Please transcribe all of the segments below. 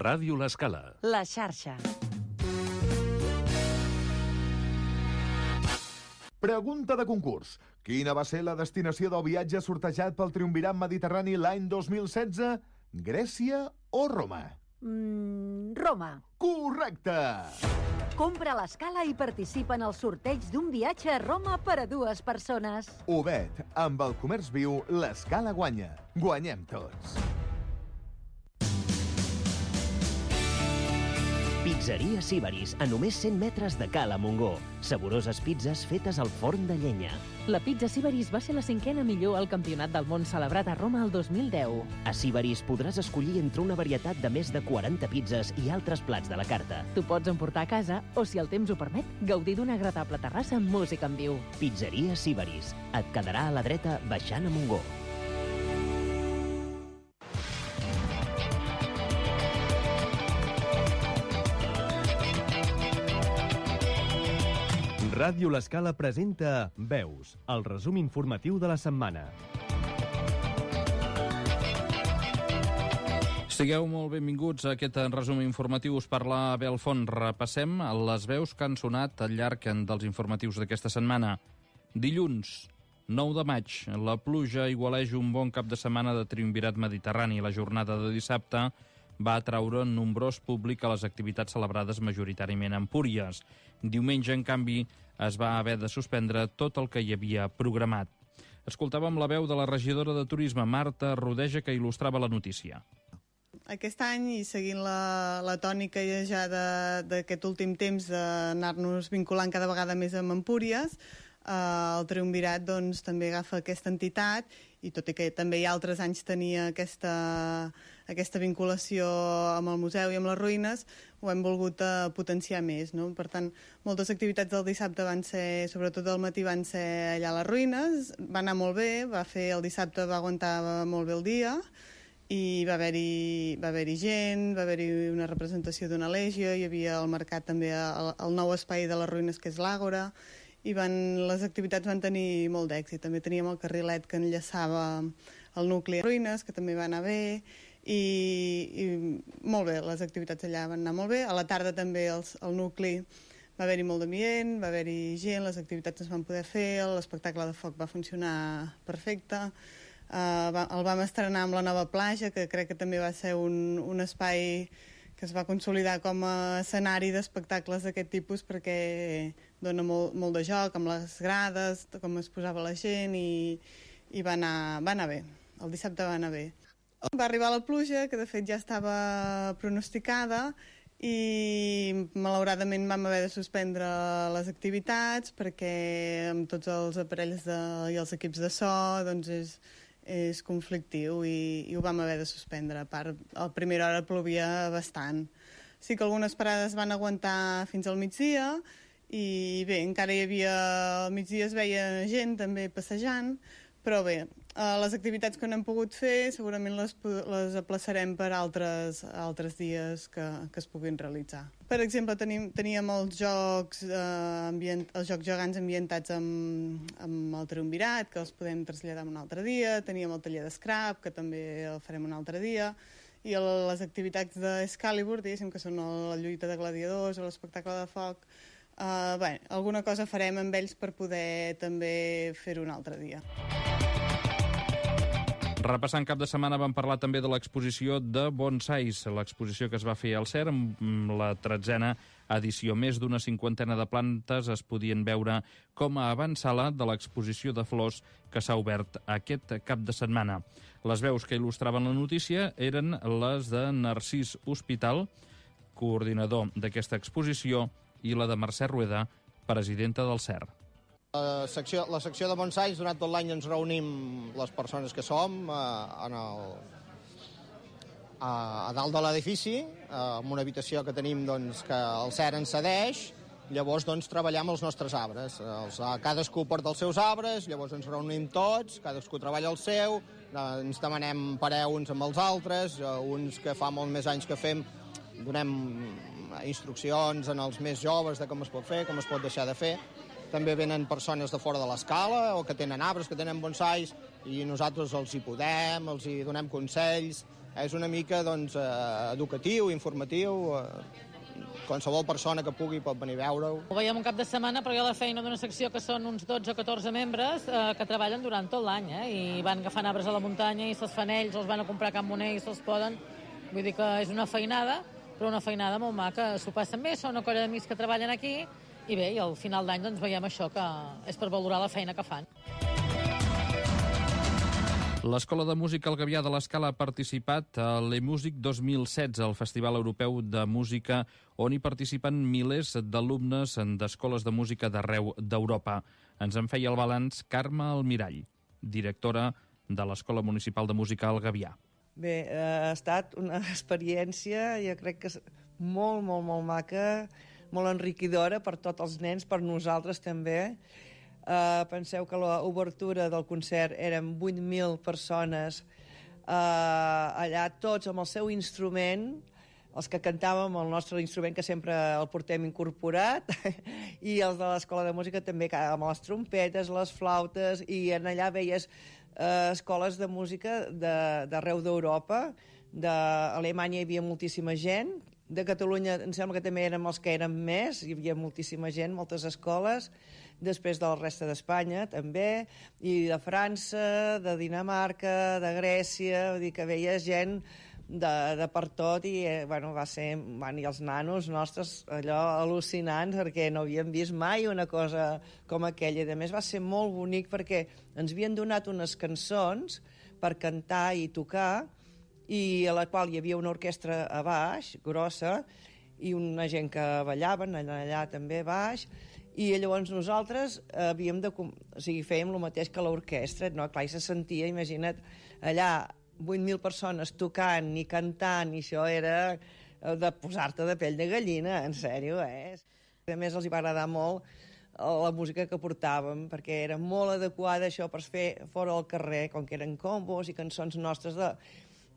Ràdio L'Escala. La xarxa. Pregunta de concurs. Quina va ser la destinació del viatge sortejat pel Triumvirat Mediterrani l'any 2016? Grècia o Roma? Roma. Correcte! Compra a l'Escala i participa en el sorteig d'un viatge a Roma per a 2 persones. Obed, amb el comerç viu, l'Escala guanya. Guanyem tots. Pizzeria Sibaris, a només 100 metres de Cala Montgó. Saboroses pizzas fetes al forn de llenya. La pizza Sibaris va ser la 5a millor al Campionat del Món celebrat a Roma el 2010. A Sibaris podràs escollir entre una varietat de més de 40 pizzas i altres plats de la carta. Tu pots emportar a casa o, si el temps ho permet, gaudir d'una agradable terrassa amb música en viu. Pizzeria Sibaris. Et quedarà a la dreta baixant a Montgó. Ràdio L'Escala presenta Veus, el resum informatiu de la setmana. Sigueu molt benvinguts a aquest resum informatiu. Us parla Abel Font. Repassem les veus que han sonat al llarg dels informatius d'aquesta setmana. Dilluns, 9 de maig, la pluja aigualeix un bon cap de setmana de Triumvirat Mediterrani. La jornada de dissabte va atraure nombrós públic a les activitats celebrades majoritàriament a Empúries. Diumenge, en canvi, es va haver de suspendre tot el que hi havia programat. Escoltàvem la veu de la regidora de Turisme, Marta Rodeja, que il·lustrava la notícia. Aquest any, i seguint la tònica ja d'aquest últim temps d'anar-nos vinculant cada vegada més amb Empúries, el Triumvirat doncs, també agafa aquesta entitat, i tot i que també altres anys tenia aquesta vinculació amb el museu i amb les ruïnes, ho hem volgut potenciar més, no? Per tant, moltes activitats del dissabte van ser, sobretot al matí, van ser allà a les ruïnes, va anar molt bé, el dissabte va aguantar molt bé el dia, i va haver-hi gent, va haver-hi una representació d'una legió, hi havia al mercat també el nou espai de les ruïnes, que és l'Àgora, i les activitats van tenir molt d'èxit. També teníem el carrilet que enllaçava el nucli a ruïnes, que també va anar bé, i molt bé, les activitats allà van anar molt bé. A la tarda també al nucli va haver-hi molt d'ambient, va haver-hi gent, les activitats es van poder fer, l'espectacle de foc va funcionar perfecte. El vam estrenar amb la nova platja, que crec que també va ser un espai que es va consolidar com a escenari d'espectacles d'aquest tipus, perquè dona molt de joc amb les grades, com es posava la gent, i va anar bé. El dissabte va anar bé. Va arribar la pluja, que de fet ja estava pronosticada, i malauradament vam haver de suspendre les activitats, perquè amb tots els aparells i els equips de so doncs és conflictiu, i ho vam haver de suspendre. A part, a primera hora plovia bastant. Sí que algunes parades van aguantar fins al migdia, i bé, encara hi havia... Al migdia es veia gent també passejant, però bé, les activitats que no hem pogut fer segurament les aplaçarem per altres dies que es puguin realitzar. Per exemple, teníem els jocs gegants ambientats amb el Triumvirat, que els podem traslladar un altre dia, teníem el taller d'Scrap, que també el farem un altre dia, i les activitats d'Excalibur, diguéssim, que són la lluita de gladiadors o l'espectacle de foc, alguna cosa farem amb ells per poder també fer-ho un altre dia. Repassant cap de setmana vam parlar també de l'exposició de bonsais, l'exposició que es va fer al CER amb la 13a edició. Més d'una 50ena de plantes es podien veure com a avantsala de l'exposició de flors que s'ha obert aquest cap de setmana. Les veus que il·lustraven la notícia eren les de Narcís Hospital, coordinador d'aquesta exposició, i la de Mercè Rueda, presidenta del CER. La secció de bonsais, durant tot l'any ens reunim les persones que som a dalt de l'edifici, en una habitació que tenim que el CER ens cedeix. Llavors treballem els nostres arbres. Cadascú porta els seus arbres, llavors ens reunim tots, cadascú treballa el seu, ens demanem parer uns amb els altres, uns que fa molt més anys que fem, donem instruccions als més joves de com es pot fer, com es pot deixar de fer. També venen persones de fora de l'escala o que tenen arbres, que tenen bonsais, i nosaltres els hi podem, els hi donem consells. És una mica educatiu, informatiu, qualsevol persona que pugui pot venir a veure-ho. Ho veiem un cap de setmana, però hi ha la feina d'una secció que són uns 12 o 14 membres que treballen durant tot l'any, i van agafant arbres a la muntanya i se'ls fan ells, els van a comprar a Can Moner i se'ls poden. Vull dir que és una feinada, però una feinada molt maca. S'ho passen bé, són una colla d'amics que treballen aquí, i bé, i al final d'any doncs veiem això, que és per valorar la feina que fan. L'Escola de Música El Gavià de l'Escala ha participat a l'eMusic 2016, el Festival Europeu de Música, on hi participen milers d'alumnes d'escoles de música d'arreu d'Europa. Ens en feia el balanç Carme Almirall, directora de l'Escola Municipal de Música El Gavià. Bé, ha estat una experiència, jo crec que molt, molt, molt maca, molt enriquidora per tots els nens, per nosaltres també. Penseu que l'obertura del concert eren 8.000 persones allà, tots amb el seu instrument, els que cantàvem el nostre instrument, que sempre el portem incorporat, i els de l'Escola de Música també, amb les trompetes, les flautes, i allà veies escoles de música d'arreu d'Europa. D'Alemanya hi havia moltíssima gent, de Catalunya em sembla que també érem els que érem més, hi havia moltíssima gent, moltes escoles, després de la resta d'Espanya també, i de França, de Dinamarca, de Grècia, vull dir que veies gent de per tot, i va ser, i els nanos nostres allò al·lucinants, perquè no havíem vist mai una cosa com aquella, i a més va ser molt bonic perquè ens havien donat unes cançons per cantar i tocar, i a la qual hi havia una orquestra a baix, grossa, i una gent que ballaven allà també a baix, i llavors nosaltres fèiem el mateix que l'orquestra, no? Clar, i se sentia, imagina't, allà 8.000 persones tocant i cantant, i això era de posar-te de pell de gallina, en sèrio, A més, els hi va agradar molt la música que portàvem, perquè era molt adequada això per fer fora al carrer, com que eren combos i cançons nostres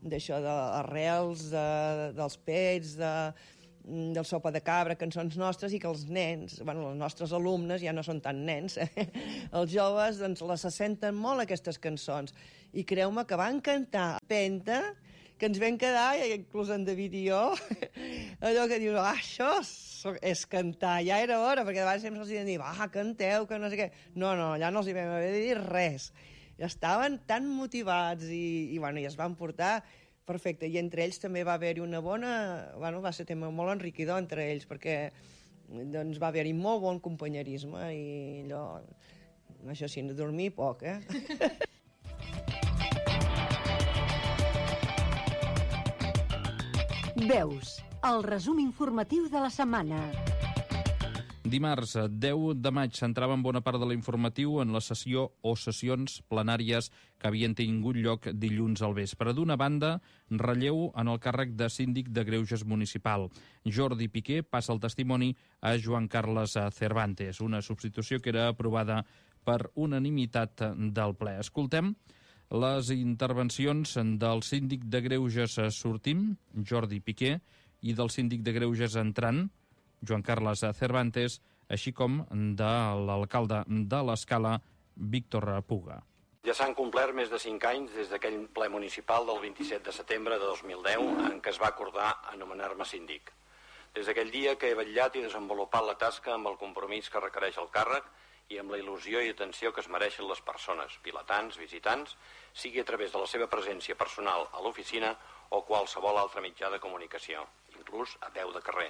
d'això, d'arrels, dels pets, del sopa de cabra, cançons nostres, i que els nens, els nostres alumnes, ja no són tan nens, els joves, doncs les senten molt aquestes cançons. I creu-me que van cantar Penta, que ens vam quedar, inclús en David i jo, allò que dius, això és cantar, ja era hora, perquè de vegades sempre els diuen, canteu, que no sé què. No, allà no els hi vam haver de dir res. Estaven tan motivats i es van portar perfecte. I entre ells també va haver-hi una bona... va ser tema molt enriquidor entre ells, perquè va haver-hi molt bon companyerisme i allò... Això sí, no dormir poc, Veus, el resum informatiu de la setmana. Dimarts, 10 de maig, centraven bona part de l'informatiu en la sessió o sessions plenàries que havien tingut lloc dilluns al vespre. D'una banda, relleu en el càrrec de síndic de Greuges municipal. Jordi Piqué passa el testimoni a Joan Carles Cervantes, una substitució que era aprovada per unanimitat del ple. Escoltem les intervencions del síndic de Greuges sortim, Jordi Piqué, i del síndic de Greuges entrant, Joan Carles Cervantes, així com de l'alcalde de l'Escala, Víctor Puga. Ja s'han complert més de 5 anys des d'aquell ple municipal del 27 de setembre de 2010 en què es va acordar anomenar-me síndic. Des d'aquell dia que he vetllat i desenvolupat la tasca amb el compromís que requereix el càrrec i amb la il·lusió i atenció que es mereixen les persones, vilatans, visitants, sigui a través de la seva presència personal a l'oficina o qualsevol altre mitjà de comunicació, inclús a peu de carrer.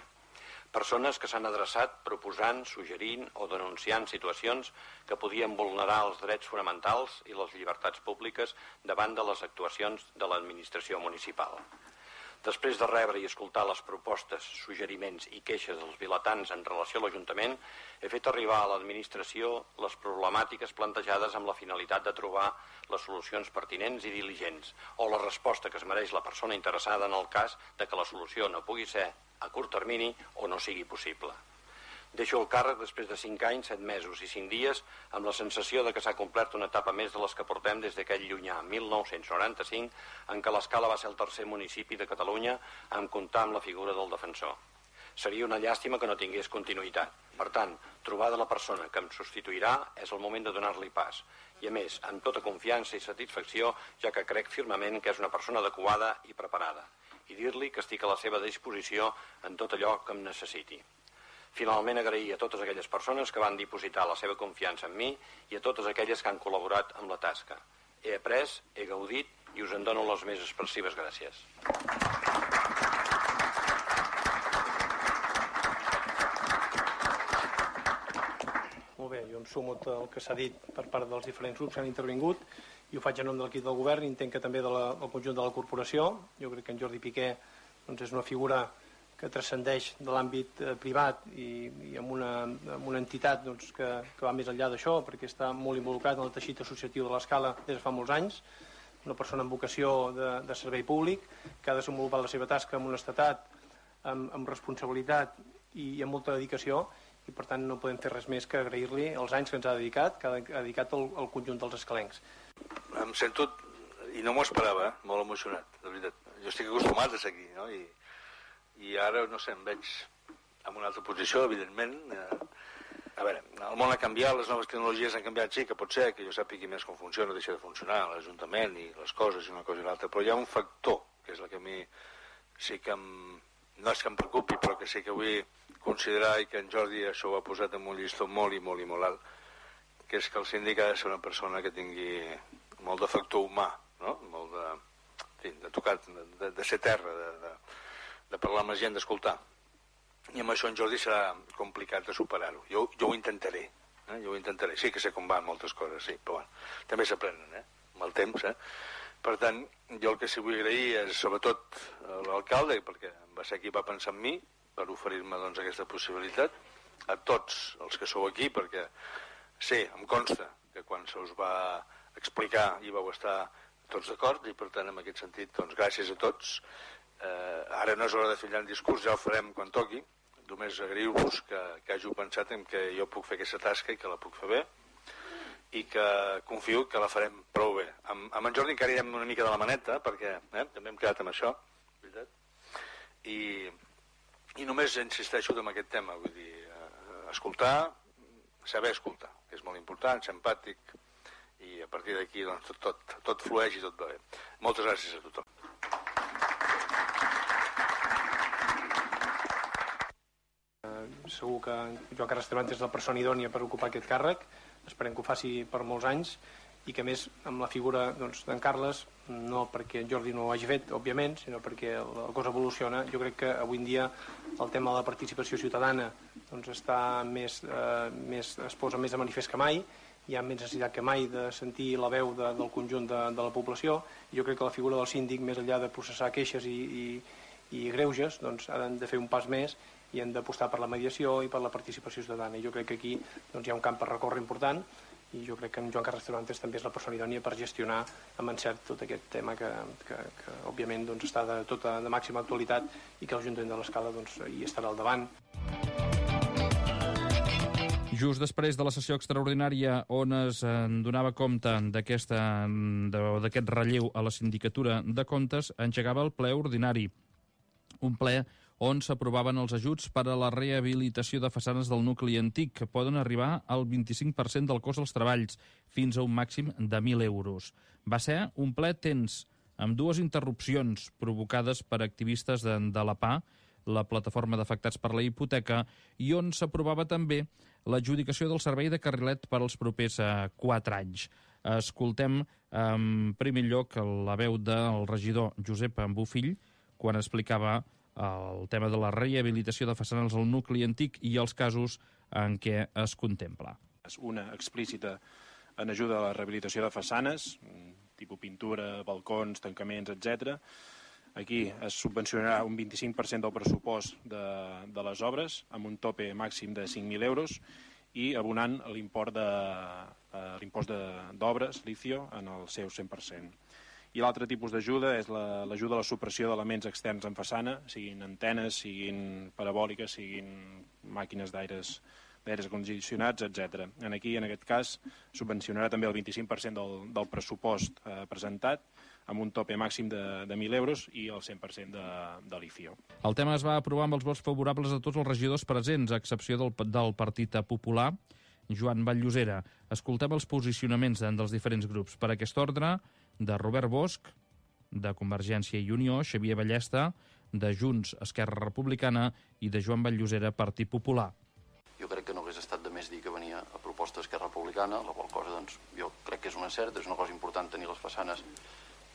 Persones que s'han adreçat proposant, suggerint o denunciant situacions que podien vulnerar els drets fonamentals i les llibertats públiques davant de les actuacions de l'administració municipal. Després de rebre i escoltar les propostes, suggeriments i queixes dels vilatans en relació a l'Ajuntament, he fet arribar a l'administració les problemàtiques plantejades amb la finalitat de trobar les solucions pertinents i diligents o la resposta que es mereix la persona interessada en el cas de que la solució no pugui ser a curt termini o no sigui possible. Deixo el càrrec després de 5 anys, 7 mesos i 5 dies amb la sensació de que s'ha complert una etapa més de les que portem des d'aquell llunyà 1995 en què l'Escala va ser el tercer municipi de Catalunya en comptar amb la figura del defensor. Seria una llàstima que no tingués continuïtat. Per tant, trobar la persona que em substituirà és el moment de donar-li pas. I a més, amb tota confiança i satisfacció, ja que crec firmament que és una persona adequada i preparada. I dir-li que estic a la seva disposició en tot allò que em necessiti. Finalment, agrair a totes aquelles persones que van dipositar la seva confiança en mi i a totes aquelles que han col·laborat amb la tasca. He après, he gaudit i us en dono les més expressives gràcies. Molt bé, jo em sumo al que s'ha dit per part dels diferents grups que han intervingut i ho faig en nom de l'equip del govern i entenc que també del conjunt de la corporació. Jo crec que en Jordi Piqué és una figura que transcendeix de l'àmbit privat i amb una entitat que va més enllà d'això, perquè està molt involucrat en el teixit associatiu de l'Escala des de fa molts anys, una persona amb vocació de servei públic, que ha desenvolupat la seva tasca amb honestedat, amb responsabilitat i amb molta dedicació, i per tant no podem fer res més que agrair-li els anys que ens ha dedicat, que ha dedicat al conjunt dels escalencs. Em sento, i no m'ho esperava, molt emocionat, de veritat. Jo estic acostumat a ser aquí, no? I ara, no sé, em veig en una altra posició, evidentment. A veure, el món ha canviat, les noves tecnologies han canviat, sí, que pot ser que jo sàpiga més com funciona, deixa de funcionar, l'Ajuntament i les coses i una cosa i l'altra, però hi ha un factor, que és el que a mi sí que no és que em preocupi, però que sí que vull considerar i que en Jordi això ho ha posat en un llistó molt i molt i molt alt, que és que el síndic ha de ser una persona que tingui molt de factor humà, no? Molt de tocar, de ser terra, de parlar amb la gent, d'escoltar. I amb això en Jordi serà complicat de superar-ho. Jo ho intentaré, jo ho intentaré. Sí que sé com van moltes coses, sí, però bueno, també s'aprenen, amb el temps, Per tant, jo el que sí vull agrair és sobretot a l'alcalde, perquè va ser qui va pensar en mi, per oferir-me aquesta possibilitat, a tots els que sou aquí, perquè sí, em consta que quan se us va explicar hi vau estar tots d'acord, i per tant, en aquest sentit, gràcies a tots. Ara no és hora de fer un discurs, ja ho farem quan toqui, només agrair-vos que hàgiu pensat en que jo puc fer aquesta tasca i que la puc fer bé, i que confio que la farem prou bé. Amb en Jordi encara irem una mica de la maneta, perquè també hem quedat amb això, veritat? I només insisteixo en aquest tema, vull dir, escoltar, saber escoltar, que és molt important, ser empàtic, i a partir d'aquí tot flueix i tot va bé. Moltes gràcies a tothom. Segur que Joan Carles Cervantes és la persona idònia per ocupar aquest càrrec, esperem que ho faci per molts anys i que a més amb la figura d'en Carles, no perquè en Jordi no ho hagi fet, òbviament, sinó perquè la cosa evoluciona. Jo crec que avui en dia el tema de la participació ciutadana està es posa més de manifest que mai, hi ha més necessitat que mai de sentir la veu del conjunt de la població, i jo crec que la figura del síndic, més enllà de processar queixes i greuges, ha de fer un pas més i hem d'apostar per la mediació i per la participació ciutadana. I jo crec que aquí hi ha un camp per recórrer important i jo crec que en Joan Carles Cervantes també és la persona idònia per gestionar amb encert tot aquest tema que òbviament està de màxima actualitat i que l'Ajuntament de l'Escala hi estarà al davant. Just després de la sessió extraordinària on es donava compte d'aquest relleu a la Sindicatura de Comptes, engegava el ple ordinari. Un ple on s'aprovaven els ajuts per a la rehabilitació de façanes del nucli antic, que poden arribar al 25% del cost dels treballs, fins a un màxim de 1.000 euros. Va ser un ple tens, amb dues interrupcions provocades per activistes de la PA, la plataforma d'afectats per la hipoteca, i on s'aprovava també l'adjudicació del servei de carrilet per als propers 4 anys. Escoltem en primer lloc la veu del regidor Josep Bofill quan explicava el tema de la rehabilitació de façanes al nucli antic i els casos en què es contempla. Una explícita en ajuda a la rehabilitació de façanes, tipus pintura, balcons, tancaments, etc. Aquí es subvencionarà un 25% del pressupost de les obres, amb un tope màxim de 5.000 euros, i abonant l'impost d'obres, l'ICIO, en el seu 100%. I l'altre tipus d'ajuda és l'ajuda a la supressió d'elements externs en façana, siguin antenes, siguin parabòliques, siguin màquines d'aires condicionats, etc. Aquí, en aquest cas, subvencionarà també el 25% del pressupost presentat, amb un tope màxim de 1.000 euros i el 100% de l'IFIO. El tema es va aprovar amb els vots favorables de tots els regidors presents, a excepció del Partit Popular, Joan Vall-llosera. Escoltem els posicionaments dels diferents grups. Per aquest ordre, de Robert Bosch, de Convergència i Unió, Xavier Ballesta, de Junts, Esquerra Republicana i de Joan Vall-llosera, Partit Popular. Jo crec que no hagués estat de més dir que venia a proposta d'Esquerra Republicana, la qual cosa jo crec que és un encert, és una cosa important tenir les façanes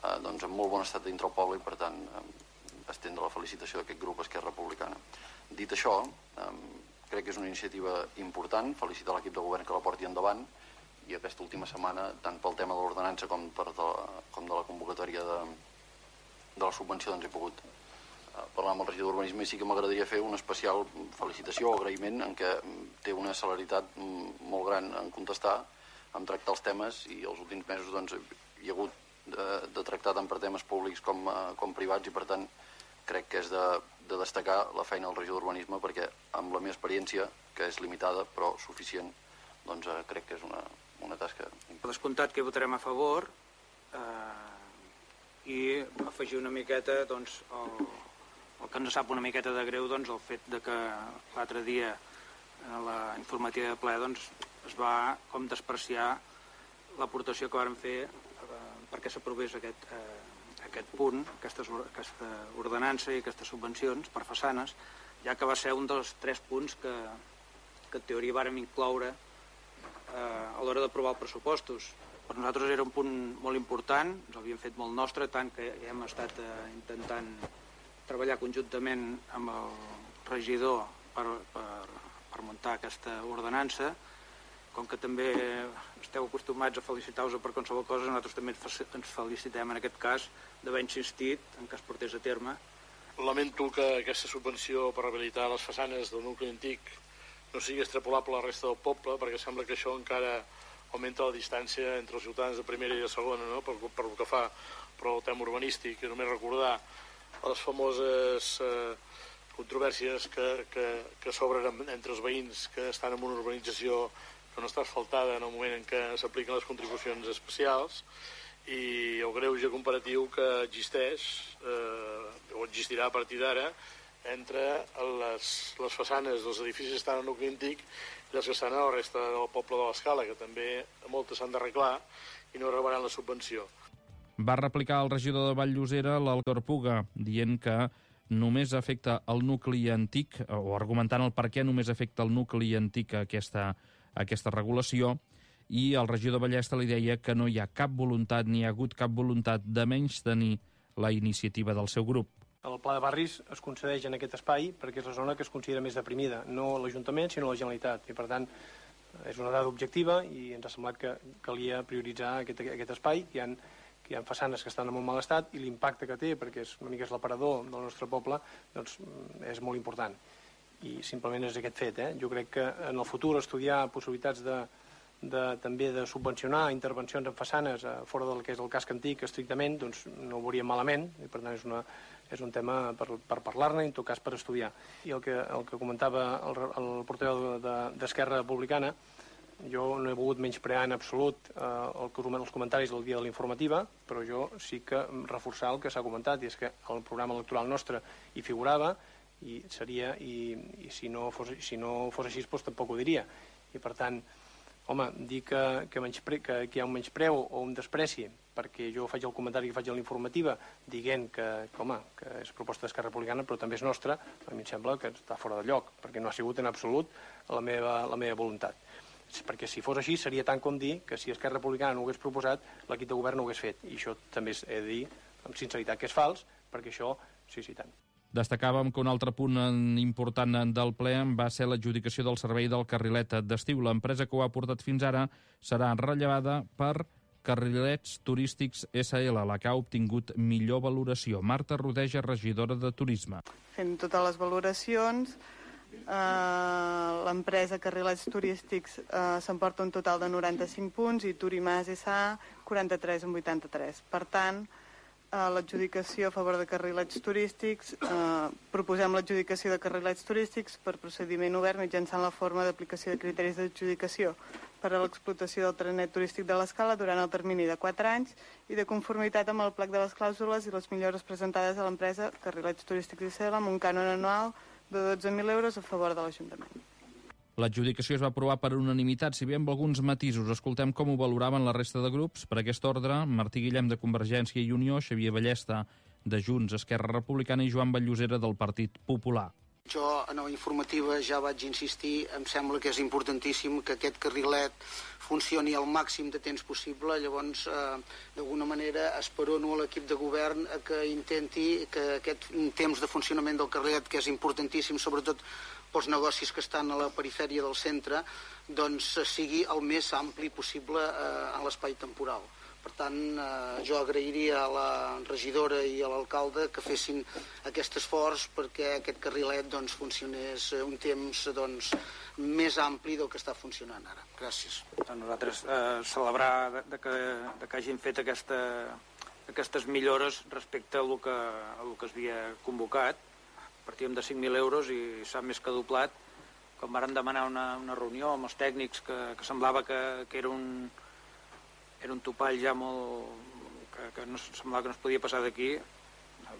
en molt bon estat dintre el poble i, per tant, estendre la felicitació d'aquest grup Esquerra Republicana. Dit això, crec que és una iniciativa important, felicitar l'equip de govern que la porti endavant, i aquesta última setmana, tant pel tema de l'ordenança com de la convocatòria de la subvenció, doncs he pogut parlar amb el regidor d'Urbanisme, i sí que m'agradaria fer una especial felicitació o agraïment en què té una celeritat molt gran en contestar, en tractar els temes, i els últims mesos hi ha hagut de tractar tant per temes públics com privats, i per tant crec que és de destacar la feina del regidor d'Urbanisme, perquè amb la meva experiència, que és limitada però suficient, doncs crec que és una tasca. Per descomptat que hi votarem a favor i afegir una miqueta el que ens sap una miqueta de greu, el fet de que l'altre dia a la informativa de ple es va com despreciar l'aportació que vàrem fer perquè s'aprovés aquest punt, aquesta ordenança i aquestes subvencions per façanes, ja que va ser un dels 3 punts que en teoria vàrem incloure a l'hora d'aprovar els pressupostos. Per nosaltres era un punt molt important, ens l'havíem fet molt nostre, tant que hem estat intentant treballar conjuntament amb el regidor per muntar aquesta ordenança. Com que també esteu acostumats a felicitar-vos per qualsevol cosa, nosaltres també ens felicitem en aquest cas d'haver insistit en que es portés a terme. Lamento que aquesta subvenció per rehabilitar les façanes del nucli antic no sigui extrapolable a la resta del poble, perquè sembla que això encara augmenta la distància entre els ciutadans de primera i de segona, no? Per el que fa al tema urbanístic. Només recordar les famoses controvèrsies que s'obren entre els veïns que estan en una urbanització que no està asfaltada en el moment en què s'apliquen les contribucions especials, i el greuge comparatiu que existeix o existirà a partir d'ara entre les façanes dels edificis que estan en el nucli antic i les que estan a la resta del poble de l'Escala, que també moltes s'han d'arreglar i no rebran la subvenció. Va replicar el regidor de Vall-llosera, l'Alcor Puga, dient que només afecta el nucli antic, o argumentant el per què només afecta el nucli antic aquesta regulació, i el regidor Ballesta li deia que no hi ha cap voluntat, ni hi ha hagut cap voluntat de menystenir la iniciativa del seu grup. El pla de barris es concedeix en aquest espai perquè és la zona que es considera més deprimida, no l'Ajuntament, sinó la Generalitat, i per tant és una dada objectiva i ens ha semblat que calia prioritzar aquest espai. Hi ha façanes que estan en molt mal estat i l'impacte que té, perquè una mica és l'aparador del nostre poble, doncs és molt important. I simplement és aquest fet. Jo crec que en el futur estudiar possibilitats també de subvencionar intervencions en façanes fora del que és el casc antic estrictament, doncs no ho veuríem malament, i per tant és un tema per parlar-ne, en tot cas per estudiar. I el que comentava el portaveu d'Esquerra Republicana, jo no he volgut menysprear en absolut els comentaris del dia de la informativa, però jo sí que reforçar el que s'ha comentat, i és que el programa electoral nostre hi figurava, i si no fos així, doncs tampoc ho diria. I per tant, home, dir que hi ha un menyspreu o un despreci perquè jo faig el comentari que faig a la informativa dient que és proposta d'Esquerra Republicana però també és nostra, a mi em sembla que està fora de lloc, perquè no ha sigut en absolut la meva voluntat. Perquè si fos així seria tant com dir que si Esquerra Republicana no ho hagués proposat, l'equip de govern no ho hagués fet. I això també he de dir amb sinceritat que és fals, perquè això sí, tant. Destacàvem que un altre punt important del ple va ser l'adjudicació del servei del carrilet d'estiu. L'empresa que ho ha portat fins ara serà rellevada per Carrilets Turístics SL, la que ha obtingut millor valoració. Marta Rodeja, regidora de Turisme. Fent totes les valoracions, l'empresa Carrilets Turístics s'emporta un total de 95 punts i Turimàs S.A. 43 en 83. Per tant, l'adjudicació a favor de Carrilets Turístics, proposem l'adjudicació de Carrilets Turístics per procediment obert mitjançant la forma d'aplicació de criteris d'adjudicació per a l'explotació del trenet turístic de l'Escala durant el termini de 4 anys i de conformitat amb el plec de les clàusules i les millores presentades a l'empresa Carrilets Turístics ICL amb un cànon anual de 12.000 euros a favor de l'Ajuntament. L'adjudicació es va aprovar per unanimitat, si bé amb alguns matisos. Escoltem com ho valoraven la resta de grups. Per aquest ordre, Martí Guillem de Convergència i Unió, Xavier Ballesta de Junts, Esquerra Republicana i Joan Vallllosera del Partit Popular. Jo, en la informativa, ja vaig insistir, em sembla que és importantíssim que aquest carrilet funcioni al màxim de temps possible, llavors, d'alguna manera, esperono a l'equip de govern que intenti que aquest temps de funcionament del carrilet, que és importantíssim, sobretot pels negocis que estan a la perifèria del centre, doncs sigui el més ampli possible en l'espai temporal. Per tant, jo agrairia a la regidora i a l'alcalde que fessin aquest esforç perquè aquest carrilet funcionés un temps més ampli del que està funcionant ara. Gràcies. Nosaltres celebrar que hagin fet aquestes millores respecte a el que es havia convocat. Partíem de 5.000 euros i s'ha més que doblat. Quan vàrem demanar una reunió amb els tècnics que semblava que era un topall ja molt... que no semblava que no es podia passar d'aquí,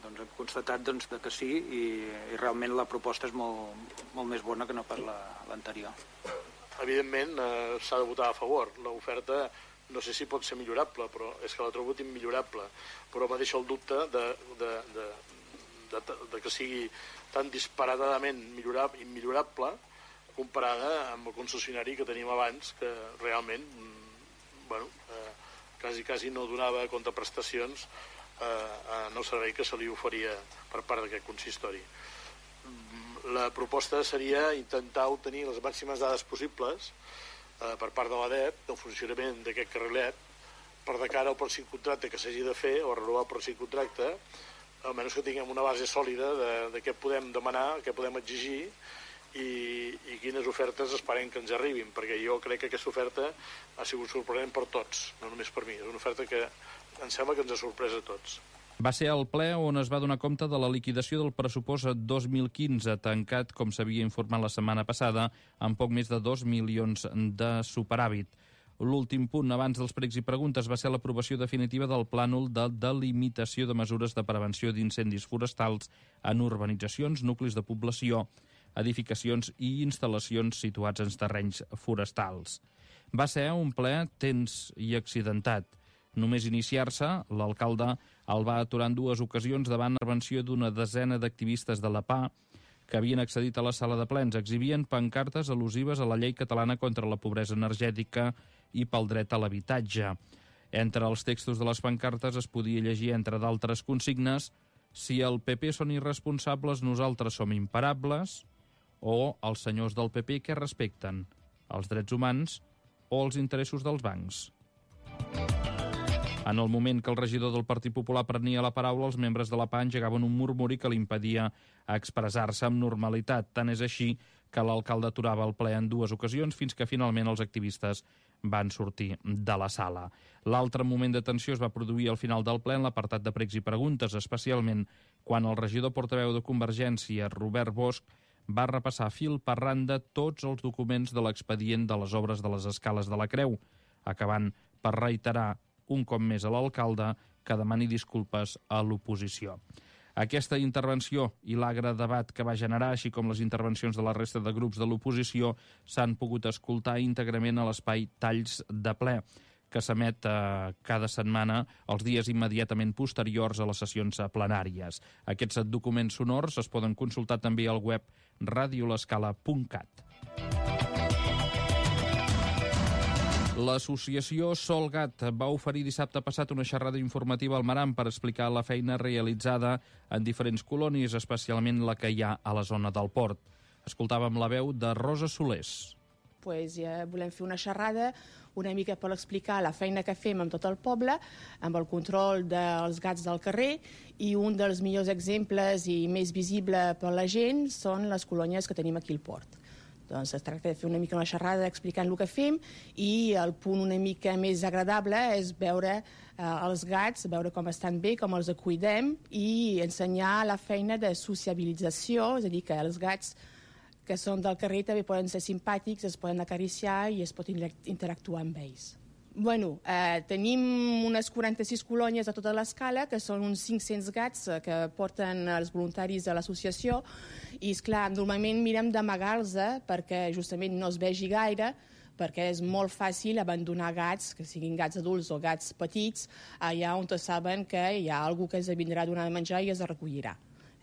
doncs hem constatat que sí i realment la proposta és molt més bona que no pas l'anterior. Evidentment s'ha de votar a favor. L'oferta no sé si pot ser millorable, però és que la trobo immillorable. Però me deixa el dubte de que sigui tan disparatadament immillorable comparada amb el concessionari que teníem abans, que realment quasi no donava contraprestacions en el servei que se li oferia per part d'aquest consistori. La proposta seria intentar obtenir les màximes dades possibles per part de l'ADEP del funcionament d'aquest carrilet per de cara al pròxim contracte que s'hagi de fer o renovar el pròxim contracte, almenys que tinguem una base sòlida de què podem demanar, què podem exigir i quines ofertes esperem que ens arribin, perquè jo crec que aquesta oferta ha sigut sorprenent per tots, no només per mi. És una oferta que em sembla que ens ha sorprès a tots. Va ser el ple on es va donar compte de la liquidació del pressupost 2015, tancat, com s'havia informat la setmana passada, amb poc més de 2 milions de superàvit. L'últim punt, abans dels pregs i preguntes, va ser l'aprovació definitiva del plànol de delimitació de mesures de prevenció d'incendis forestals en urbanitzacions, nuclis de població, edificacions i instal·lacions situats en terrenys forestals. Va ser un ple tens i accidentat. Només iniciar-se, l'alcalde el va aturar en 2 ocasions davant l'intervenció d'una desena d'activistes de la PA que havien accedit a la sala de plens. Exhibien pancartes al·lusives a la llei catalana contra la pobresa energètica i pel dret a l'habitatge. Entre els textos de les pancartes es podia llegir, entre d'altres consignes, si el PP són irresponsables, nosaltres som imparables, o els senyors del PP que respecten els drets humans o els interessos dels bancs. En el moment que el regidor del Partit Popular prenia la paraula, els membres de la PA engegaven un murmuri que li impedia expressar-se amb normalitat. Tant és així que l'alcalde aturava el ple en 2 ocasions fins que finalment els activistes van sortir de la sala. L'altre moment de tensió es va produir al final del ple en l'apartat de pregs i preguntes, especialment quan el regidor portaveu de Convergència, Robert Bosch, va repassar fil per randa tots els documents de l'expedient de les obres de les escales de la Creu, acabant per reiterar un cop més a l'alcalde que demani disculpes a l'oposició. Aquesta intervenció i l'agre debat que va generar, així com les intervencions de la resta de grups de l'oposició, s'han pogut escoltar íntegrament a l'espai Talls de ple, que s'emet cada setmana els dies immediatament posteriors a les sessions plenàries. Aquests documents sonors es poden consultar també al web radiolescala.cat. L'associació Solgat va oferir dissabte passat una xerrada informativa al Maran per explicar la feina realitzada en diferents colònies, especialment la que hi ha a la zona del port. Escoltàvem la veu de Rosa Solés. Ja volem fer una xerrada una mica per explicar la feina que fem amb tot el poble, amb el control dels gats del carrer, i un dels millors exemples i més visible per la gent són les colònies que tenim aquí al port. Doncs es tracta de fer una mica una xerrada explicant el que fem, i el punt una mica més agradable és veure els gats, veure com estan bé, com els cuidem, i ensenyar la feina de sociabilització, és a dir, que els gats que són del carrer també poden ser simpàtics, es poden acariciar i es pot interactuar amb ells. Bueno, tenim unes 46 colònies a tota l'escala, que són uns 500 gats que porten els voluntaris de l'associació, i esclar, normalment mirem d'amagar-los perquè justament no es vegi gaire, perquè és molt fàcil abandonar gats, que siguin gats adults o gats petits, allà on saben que hi ha algú que es vindrà a donar de menjar i es recollirà.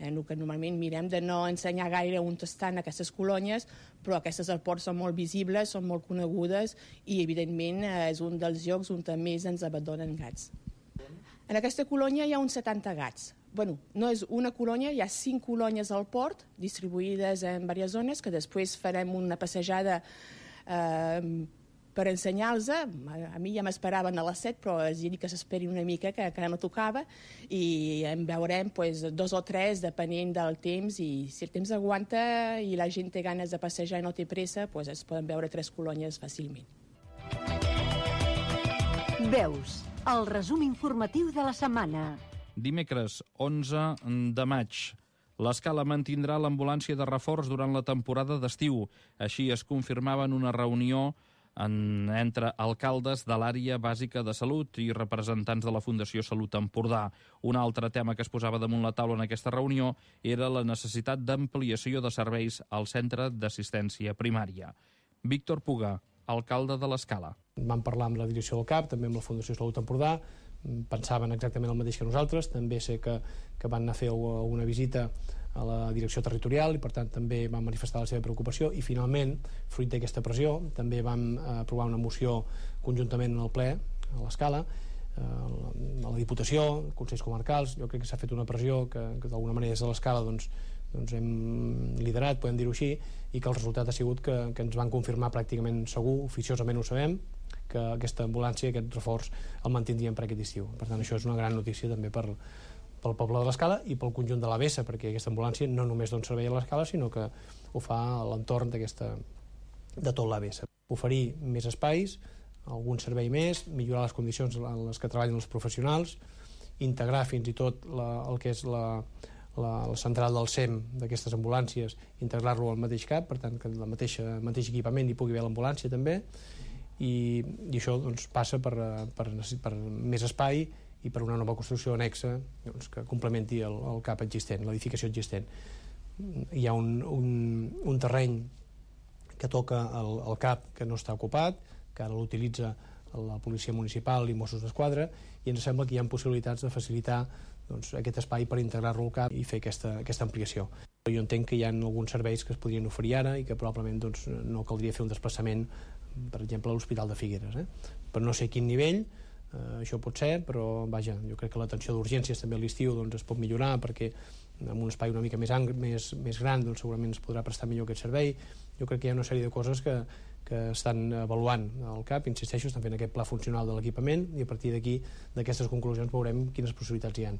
El que normalment mirem de no ensenyar gaire on estan aquestes colònies, però aquestes al port són molt visibles, són molt conegudes i, evidentment, és un dels llocs on més ens abandonen gats. En aquesta colònia hi ha uns 70 gats. Bueno, no és una colònia, hi ha 5 colònies al port, distribuïdes en diverses zones, que després farem una passejada per ensenyar-los. A mi ja m'esperaven a les 7, però els dic que s'esperin una mica, que encara no tocava, i en veurem 2 o 3, depenent del temps, i si el temps aguanta i la gent té ganes de passejar i no té pressa, es poden veure 3 colònies fàcilment. Veus, el resum informatiu de la setmana. Dimecres, 11 de maig. L'Escala mantindrà l'ambulància de reforç durant la temporada d'estiu. Així es confirmava en una reunió entre alcaldes de l'àrea bàsica de salut i representants de la Fundació Salut Empordà. Un altre tema que es posava damunt la taula en aquesta reunió era la necessitat d'ampliació de serveis al centre d'assistència primària. Víctor Puga, alcalde de l'Escala. Vam parlar amb la direcció del CAP, també amb la Fundació Salut Empordà, pensaven exactament el mateix que nosaltres, també sé que van anar a fer una visita a la direcció territorial i per tant també van manifestar la seva preocupació i finalment, fruit d'aquesta pressió, també vam aprovar una moció conjuntament en el ple, a l'Escala, a la Diputació, Consells Comarcals. Jo crec que s'ha fet una pressió que d'alguna manera des de l'Escala doncs hem liderat, podem dir-ho així, i que el resultat ha sigut que ens van confirmar pràcticament segur, oficiosament ho sabem, que aquesta ambulància, aquest reforç, el mantindríem per aquest estiu. Per tant, això és una gran notícia també pel poble de l'Escala i pel conjunt de l'ABS, perquè aquesta ambulància no només dona servei a l'Escala, sinó que ho fa a l'entorn de tot l'ABS. Oferir més espais, algun servei més, millorar les condicions en les que treballen els professionals, integrar fins i tot el que és la central del SEM d'aquestes ambulàncies, integrar-lo al mateix CAP, per tant que el mateix equipament hi pugui haver l'ambulància també, i això passa per més espai i per una nova construcció anexa que complementi el CAP existent, l'edificació existent. Hi ha un terreny que toca el CAP que no està ocupat, que ara l'utilitza la policia municipal i Mossos d'Esquadra, i ens sembla que hi ha possibilitats de facilitar aquest espai per integrar-lo al CAP i fer aquesta ampliació. Jo entenc que hi ha alguns serveis que es podrien oferir ara i que probablement no caldria fer un desplaçament, per exemple, a l'Hospital de Figueres. Per no sé a quin nivell, això pot ser, però vaja, jo crec que l'atenció d'urgències també a l'estiu es pot millorar, perquè amb un espai una mica més gran segurament es podrà prestar millor aquest servei. Jo crec que hi ha una sèrie de coses que estan avaluant al CAP, insisteixo, estan fent aquest pla funcional de l'equipament i a partir d'aquí, d'aquestes conclusions, veurem quines possibilitats hi ha.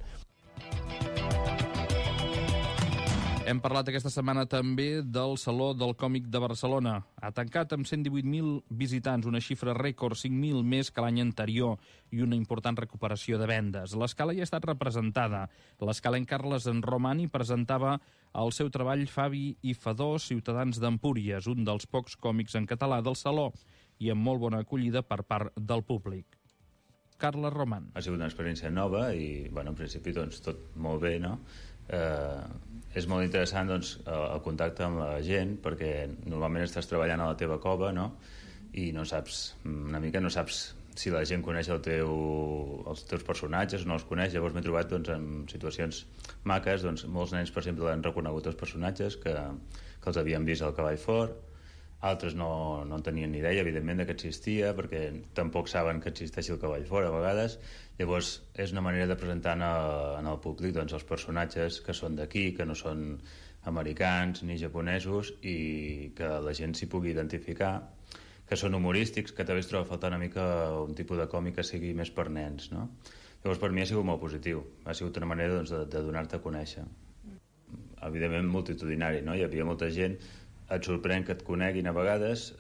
Hem parlat aquesta setmana també del Saló del Còmic de Barcelona. Ha tancat amb 118.000 visitants, una xifra rècord, 5.000 més que l'any anterior i una important recuperació de vendes. L'Escala ja ha estat representada. L'Escalenc Carles en Romani presentava el seu treball Fabi i Fadó, ciutadans d'Empúries, un dels pocs còmics en català del Saló i amb molt bona acollida per part del públic. Carles Roman. Ha sigut una experiència nova i, en principi, tot molt bé, no? És molt interessant el contacte amb la gent, perquè normalment estàs treballant a la teva cova, no? I no saps si la gent coneix els teus personatges o no els coneix. Llavors m'he trobat en situacions maques, molts nens, per exemple, han reconegut els personatges que els havien vist al Cavall Fort, altres no en tenien ni idea, evidentment, que existia, perquè tampoc saben que existeixi el Cavall Fort a vegades. Llavors és una manera de presentar en el públic els personatges que són d'aquí, que no són americans ni japonesos, i que la gent s'hi pugui identificar, que són humorístics, que també es troba a faltar una mica un tipus de còmic que sigui més per nens, no? Llavors per mi ha sigut molt positiu, ha sigut una manera de donar-te a conèixer. Evidentment multitudinari, no? Hi havia molta gent, et sorprèn que et coneguin a vegades,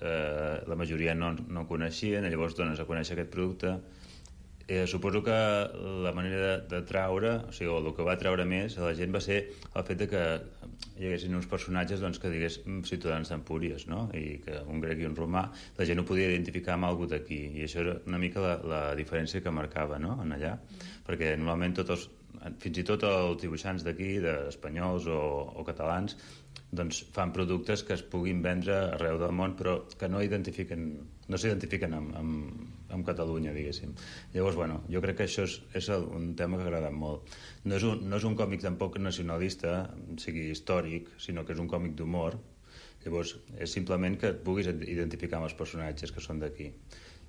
la majoria no coneixien, llavors dones a conèixer aquest producte Suposo que la manera de traure, o sigui, el que va treure més a la gent va ser el fet de que hi haguessin uns personatges que digués ciutadans d'Empúries, no? I que un grec i un romà, la gent ho podia identificar amb algú d'aquí, i això era una mica la diferència que marcava, no?, en allà, perquè normalment fins i tot els dibuixants d'aquí, d'espanyols o catalans, doncs fan productes que es puguin vendre arreu del món, però que no s'identifiquen amb Catalunya, diguéssim. Llavors, bueno, jo crec que això és un tema que ha agradat molt. No és un còmic tampoc nacionalista, sigui històric, sinó que és un còmic d'humor. Llavors, és simplement que et puguis identificar amb els personatges que són d'aquí.